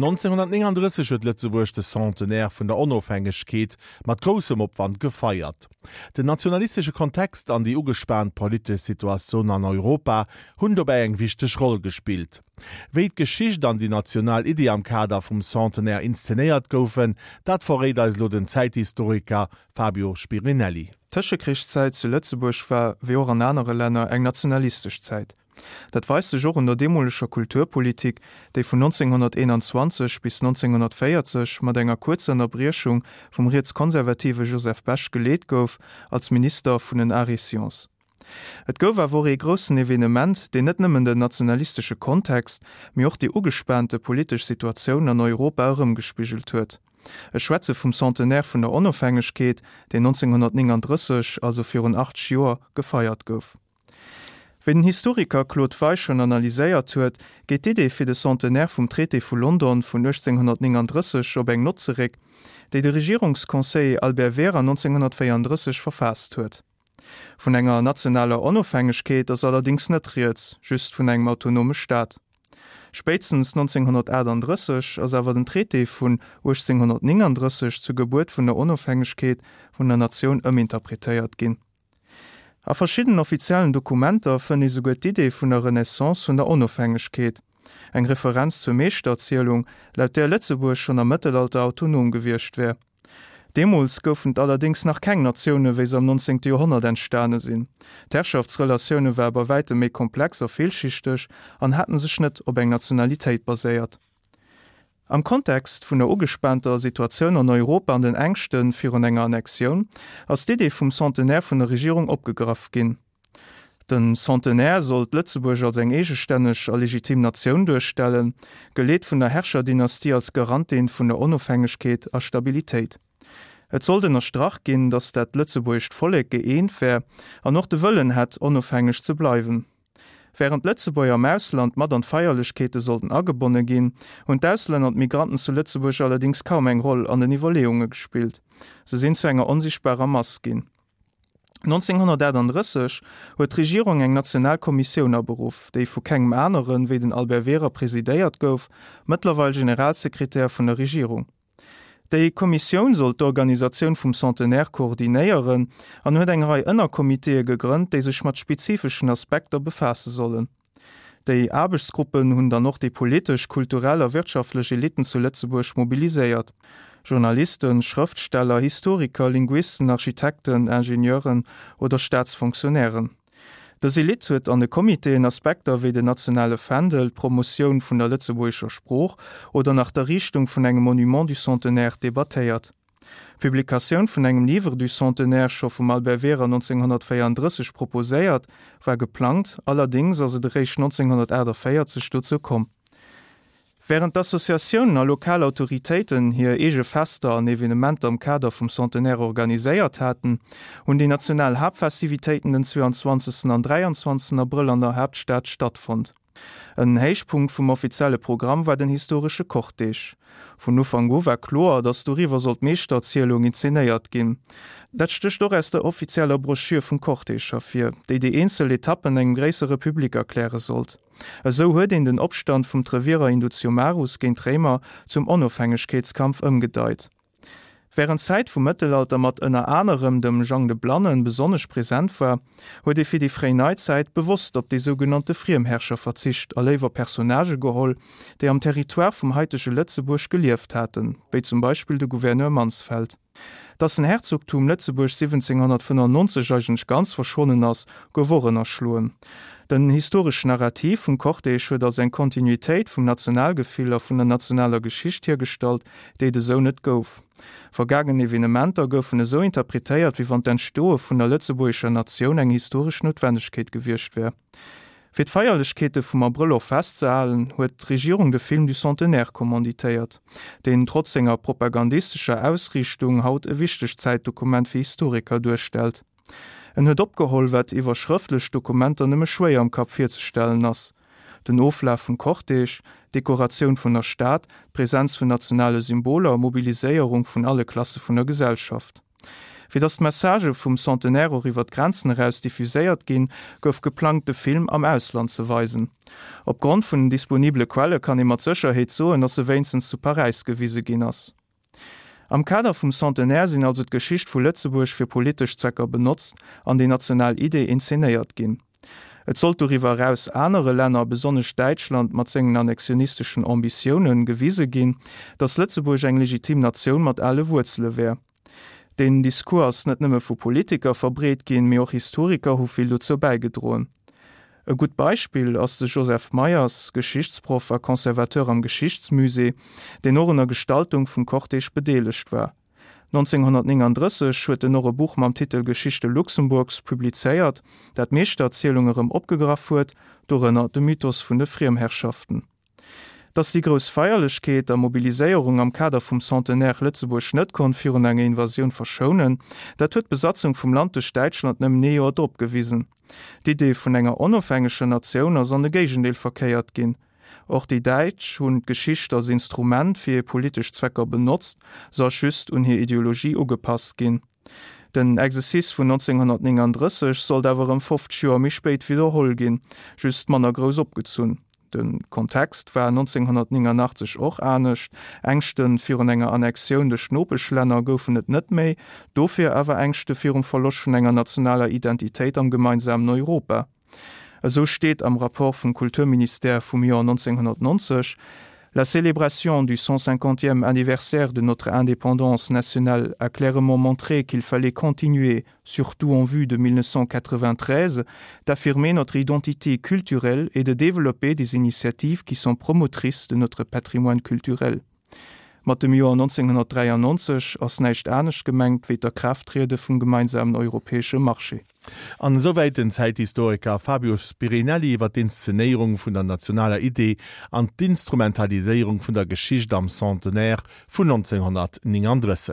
1939 huet Lëtzebuerg de Centenaire vun der Onofhängegkeet mat groussem Opwand gefeiert. Den nationalistesche Kontext an déi ugespaant politesch Situatioun an Europa hunn dobäi eng wichteg Roll gespillt. Wéi d'Geschicht an déi national Iddi am Kader vum Centenaire inszenéiert goufen, dat verréit eis elo den Zäithistoriker Fabio Spirinelli. D'Tëschekrichszäit zu Lëtzebuerg war, wéi och an anere Länner, eng nationalistesch Zäit. Dat weist sech och un der deemoleger Kulturpolitik, déi vun 1921 bis 1940 mat enger kuerzer Ënnerbriechung vum rietskonservative Joseph Bech geleet gouf als Minister vun den Arts et Sciences. Et gouf awer och ee groussen Evenement, deen net nëmmen den nationalistesche Kontext, mee och déi ugespaante politesch Situatioun an Europa erëmgespigelt huet. Ech schwätze vum Centenaire vun der Onofhängegkeet, deen 1939, also virun 80 Joer, gefeiert gouf. Wéi den Historiker Claude Weisch schonn analyséiert huet, geet d'Idee fir de Centenaire vum Traité vu London vun 1839 op eng Nott zeréck, déi de Regierungsconseiller Albert Wehrer 1934 verfaasst huet. Vun enger nationaler Onofhängegkeet ass allerdéngs net rieds, just vun engem autonome Staat. Spéitstens 1938 ass awer den Traité vun 1839 zur Gebuert vun der Onofhängegkeet vun der Natioun ëminterpretéiert ginn. A verschiddenen offiziellen Dokumenter fënnt ee souguer d'Idee vun der Renaissance vun der Onofhängegkeet, eng Referenz zur Meeschtererzielung, laut där Lëtzebuerg schonn am Mëttelalter autonom gewiescht wär. Deemools goufen et allerdéngs nach keng Natioune wéi se am 19. Joerhonnert entstane sinn. D'Herrschaftsrelatioune ware bei wäitem méi komplex a villschichteg an haten sech net op eng Nationalitéit baséiert. Am Kontext vun der ugespaanter Situatioun an Europa an den Ängschte virun enger Annexioun ass d'Idee vum Centenaire vun der Regierung opgegraff ginn. Den Centenaire sollt Lëtzebuerg als eng eegestänneg a legitim Natioun duerstellen, geleet vun der Herrscherdynastie als Garantin vun der Onofhängegkeet a Stabilitéit. Et sollt ënnerstrach ginn, datt dat lëtzebuergescht Vollek gëeent wär an och de Wëllen hätt, onofhängeg ze bleiwen. Wärend d'Lëtzebuerger am Ausland mat an d'Feierlechkeete sollten agebonne ginn, hunn d'Auslänner an d'Migranten zu Lëtzebuerg allerdéngs kaum eng Roll an den Iwwerleeunge gespillt. Se sinn zu enger onsichtbarer Mass ginn. 1938 huet d'Regierung eng national Kommissioun aberuff, déi vu kengem anere wéi den Albert Wehrer presidéiert gouf, mëttlerweil Generalsekretär vun der Regierung. Déi Kommissioun sollt d'Organisatioun vum Centenaire koordinéieren an huet eng Rei Ënnercomitéë gegrënnt, déi sech mat spezifeschen Aspekter befaasse sollen. Déi Aarbechtsgruppen hunn dann och déi politesch, kulturell a wirtschaftlech Elitten zu Lëtzebuerg mobiliséiert, Journalisten, Schrëftsteller, Historiker, Linguisten, Architekten, Ingenieuren oder Staatsfonctionnairen. Dës Elite huet an de Comitéen Aspekter wéi den nationale Fändel, d'Promotioun vun der lëtzebuergescher Sprooch oder nach d'Erriichtung vun engem Monument du Centenaire debattéiert. D'Publikatioun vun engem Livre du Centenaire, scho vum Albert Wehrer 1934 proposéiert, war geplangt, allerdéngs ass et eréischt 1948 dozou komm. Wärend d'Associatiounen a lokal Autoritéiten hir eege Fester an Evenementer am Kader vum Centenaire organiséiert haten, hunn déi national Haaptfestivitéiten den 22 an 23 Abrëll an der Haaptstad stattfonnt. En Héichpunkt vum offizielle Programm war den historesche Cortège. Vun Ufank u war kloer, datt doriwwer sollt d'Meeschtererzielung inzenéiert ginn. Dat stécht och aus der offizieller Broschür vum Cortège ervir, déi déi eenzel Etappen engem gréissere Public erkläre sollt. Esou huet een den Opstand vum Trevierer Indutiomarus géint d'Réimer zum Onofhängegkeetskampf ëmgedeit. Wärend d'Zäit vum Mëttelalter mat ënner anerem dem Jang de Blannen besonnesch present war, huet ee fir déi fréi Neizäit bewosst op déi sougenannte Friemherrscher verzicht a léiwer Personnagë geholl, déi am Territoire vum haitege Lëtzebuerg gelieft haten, wéi zum Beispill de Gouverneur Mansfeld. Dass den Herzogtum Lëtzebuerg 1795 eigentlech ganz verschwonnen ass, gouf och ënnerschloen. Den historeschen Narrativ vum Cortège huet als eng Kontinuitéit vum Nationalgefill a vun der nationaler Geschicht hiergestallt, déi et esou net gouf. Vergaangen Evenementer goufen esou interpretéiert, wéi wann d'Entstoe vun der lëtzebuergescher Natioun eng historesch Noutwennegkeet gewiescht wär. Fir d'Feierlechkeete vum Abrëll och festzehalen, huet d'Regierung de Film du Centenaire kommanditéiert, deen trotz senger propagandistescher Ausriichtung haut e wichtegt Zäitdokument fir Historiker duerstellt. En huet opgeholl, wat iwwer schrëftlech Dokumenter nëmme schwéier am Kapp virzestellen ass, den Oflaf vum Cortège, d'Dekoratioun vun der Stad, d'Presenz vun nationale Symboler, Mobiliséierung vun alle Klasse vun der Gesellschaft. Fir datt d'Messagë vum Centenaire och iwwer d'Grenzen eraus diffuséiert ginn, gouf geplangt, de Film am Ausland ze weisen. Op Grond vun den disponibele Quelle kann ee mat Sécherheet soen, datt e wéinstens zu Paräis gewise ginn ass. Am Kader vum Centenaire sinn also d'Geschicht vu Lëtzebuerg fir politesch Zwecker benotzt an déi national Idee inzenéiert ginn. Et sollt doriwwer eraus anere Länner, besonnesch Däitschland mat sengen annexionisteschen Ambitiounen, gewise ginn, datt Lëtzebuerg eng legitim Natioun mat ale Wuerzele wär. Deen Discours ass net nëmme vu Politiker verbreet ginn, mee och Historiker hu vill dozou bäigedroen. E gutt Beispill ass de Joseph Meyers, Geschichtsproff a Conservateur am Geschichtsmusée, deen och un der Gestaltung vum Cortège bedeelegt war. 1939 huet en och e Buch mam Titel Geschichte Luxemburgs publizéiert, dat d'Meeschtererzielung erëm opgegraff huet, dorënner de Mythos vun de Friemherrschaften. Datt déi grouss Feierlechkeet a Mobiliséierung am Kader vum Centenaire Lëtzebuerg net konnt virun enger Invasioun verschounen, dat huet d'Besatzung vum Land duerch Däitschland nëmmen ee Joer drop gewisen. D'Idee vun enger onofhängeger Natioun ass an de Géigendeel verkéiert ginn. Och déi Däitsch hunn d'Geschicht als Instrument fir hir politesch Zwecker benotzt, se ass just un hir Ideologie ugepasst ginn. Den Exercice vun 1939 sollt awer erëm 50 Joer méi spéit widderholl ginn, just manner grouss opgezunn. De Kontext war 1989 och anescht, Ängschte virun enger Annexioun duerch d'Nopeschlänner goufen et net méi, dofir awer Ängschte virum Verloscht vun enger nationaler Identitéit am gemeinsamen Europa. Esou steet am Rapport vum Kulturministère vum Joer 1990, La célébration du 150e anniversaire de notre indépendance nationale a clairement montré qu'il fallait continuer, surtout en vue de 1993, d'affirmer notre identité culturelle et de développer des initiatives qui sont promotrices de notre patrimoine culturel. Mat dem Joer 1993 ass näischt anescht gemengt wéi d'Akraafttriede vum gemeinsamen europäesche Marché. An esouwäit den Zäithistoriker Fabio Spirinelli iwwer d'Inszenéierung vun der nationaler Idee an d'Instrumentaliséierung vun der Geschicht am Centenaire vun 1939.